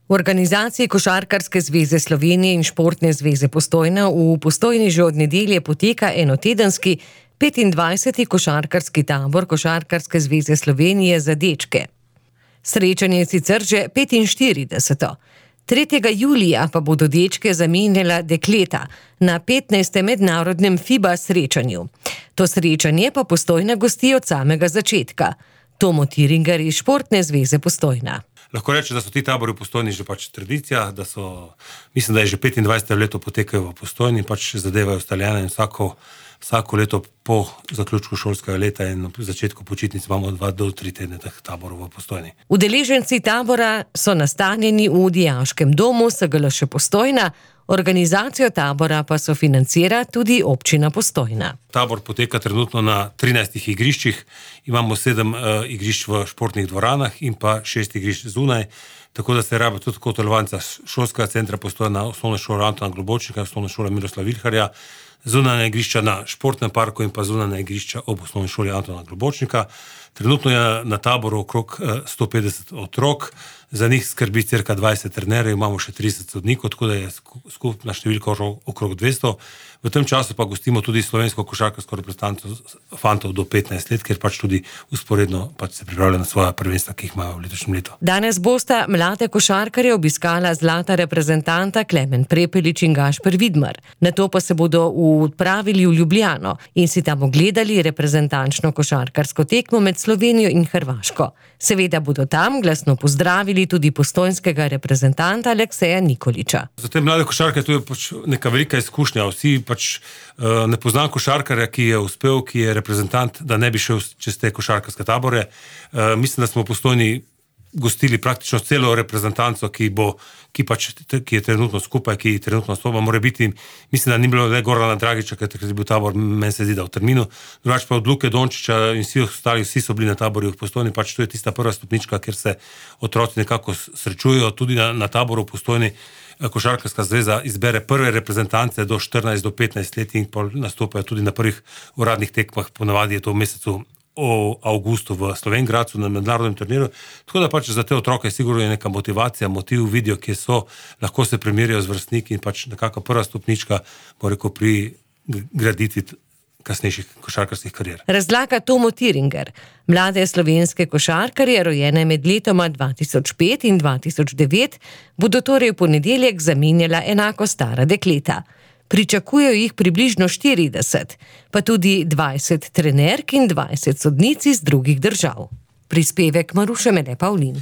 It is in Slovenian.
V organizaciji Košarkarske zveze Slovenije in Športne zveze Postojna v Postojni že od nedelje poteka enotedenski 25. košarkarski tabor Košarkarske zveze Slovenije za dečke. Srečanje je sicer že 45. 3. julija pa bodo dečke zamenjala dekleta na 15. mednarodnem FIBA srečanju. To srečanje pa Postojna gosti od samega začetka. Tomo Tiringer iz Športne zveze Postojna. Lahko reče, da so ti tabori v Postojni že tradicija, mislim, da je že 25. leto potekajo v Postojni, zadevajo ustaljene in vsako leto po zaključku šolskega leta in na začetku počitnic imamo 2 do 3 tedne teh taborov v Postojni. Udeleženci tabora so nastanjeni v dijaškem domu SGLŠ Postojna, organizacijo tabora pa sofinancira tudi občina Postojna. Tabor poteka trenutno na 13 igriščih, imamo 7 igrišč v športnih dvoranah in pa 6 igrišč zunaj, tako da se rabi tudi kot telovadnica šolskega centra Postojna, osnovne šole Antona Globočnika, osnovne šole Miroslava Vilharja, zunanja igrišča na športnem parku in pa zunanja igrišča ob osnovni šoli Antona Globočnika. Trenutno je na taboru okrog 150 otrok, za njih skrbi cirka 20 trenerjev, imamo še 30 sodnikov, tako da je skupna številka okrog 200. V tem času pa gostimo tudi slovensko košarkarsko reprezentanco fantov do 15 let, ker tudi usporedno se pripravljajo na svoja prvenstva, ki jih imajo v letošnjem letu. Danes bosta mlade košarkarje obiskala zlata reprezentanta Klemen Prepelič in Gašper Vidmar. Nato pa se bodo odpravili v Ljubljano in si tam ogledali reprezentančno košarkarsko tekmo med Slovenijo in Hrvaško. Seveda bodo tam glasno pozdravili tudi postojnskega reprezentanta Alekseja Nikoliča. Za te mlade košarke to je neka velika izkušnja. Vsi ne poznam košarkarja, ki je uspel, ki je reprezentant, da ne bi šel čez te košarkarske tabore. Mislim, da smo v Postojni gostili praktično celo reprezentanco, ki je trenutno skupaj, ki trenutno nastopa. Mora biti, mislim, da ni bilo le Gorana Dragiča, ker je bil tabor, meni se zdi, da v terminu. Drugače pa od Luke Dončiča in vsi so bili na taborju v Postojni, to je tista prva stopnička, kjer se otroci nekako srečujejo. Tudi na taboru v Postojni Košarkarska zveza izbere prve reprezentance do 14 do 15 let in nastopajo tudi na prvih uradnih tekmah, ponavadi je to v mesecu avgustu v Slovenj Gradcu na mednarodnem turnirju. Tako da za te otroke sigurno je neka motivacija, motiv, vidijo, kje so, lahko se primerjajo z vrstniki in nekako prva stopnička, pri graditvi kasnejših košarkarskih karier. Razlaga Tomo Tiringer. Mlade slovenske košarkarje, rojene med letoma 2005 in 2009, bodo torej v ponedeljek zamenjala enako stara dekleta. Pričakujejo jih približno 40, pa tudi 20 trenerk in 20 sodnic iz drugih držav. Prispevek Maruše Mede Pavlin.